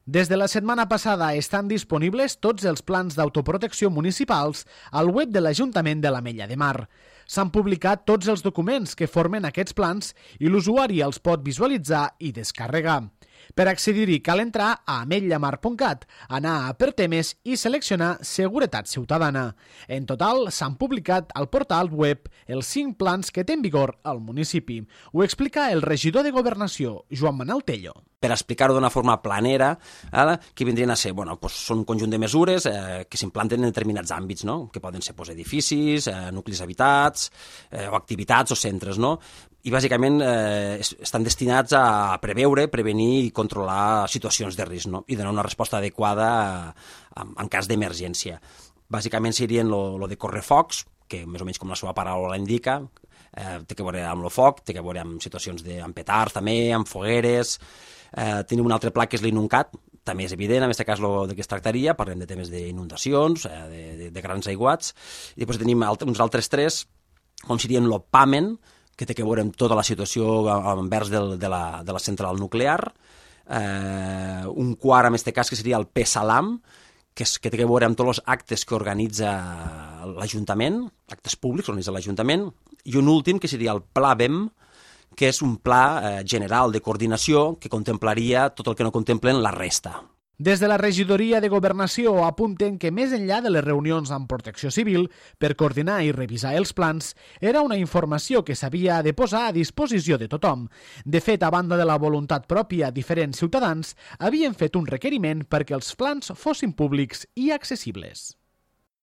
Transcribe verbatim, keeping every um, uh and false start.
Des de la setmana passada estan disponibles tots els plans d'autoprotecció municipals al web de l'Ajuntament de l'Ametlla de Mar. S'han publicat tots els documents que formen aquests plans i l'usuari els pot visualitzar i descarregar. Per accedir-hi cal entrar a ametlla-mar punt cat, anar a per temes i seleccionar Seguretat Ciutadana. En total s'han publicat al portal web els cinc plans que té en vigor al municipi. Ho explica el regidor de Governació, Joan Manel Tello. Per explicar-ho d'una forma planera, ara, que vindrien a ser, bueno, doncs són un conjunt de mesures eh, que s'implanten en determinats àmbits, no? Que poden ser doncs, edificis, eh, nuclis habitats, eh, o activitats o centres, no? I bàsicament eh, estan destinats a preveure, prevenir i controlar situacions de risc, no? I donar una resposta adequada en, en cas d'emergència. Bàsicament serien lo de correfocs, que més o menys com la seva paraula indica, eh, té que veure amb el foc, té que veure amb situacions de, amb petards també, amb fogueres. Eh, tenim un altre pla que és l'Inuncat, també és evident, en aquest cas lo de què es tractaria, parlem de temes d'inundacions, eh, de, de, de grans aiguats, i després tenim alt, uns altres tres, com serien el PAMEN, que té que veure amb tota la situació envers del, de, la, de la central nuclear, eh, un quart, en aquest cas, que seria el PESALAM, que, és, que té que veure amb tots els actes que organitza l'Ajuntament, actes públics que organitza l'Ajuntament, i un últim, que seria el Pla B E M, que és un pla eh, general de coordinació que contemplaria tot el que no contemplen la resta. Des de la regidoria de Governació apunten que més enllà de les reunions amb Protecció Civil per coordinar i revisar els plans, era una informació que s'havia de posar a disposició de tothom. De fet, a banda de la voluntat pròpia, diferents ciutadans havien fet un requeriment perquè els plans fossin públics i accessibles.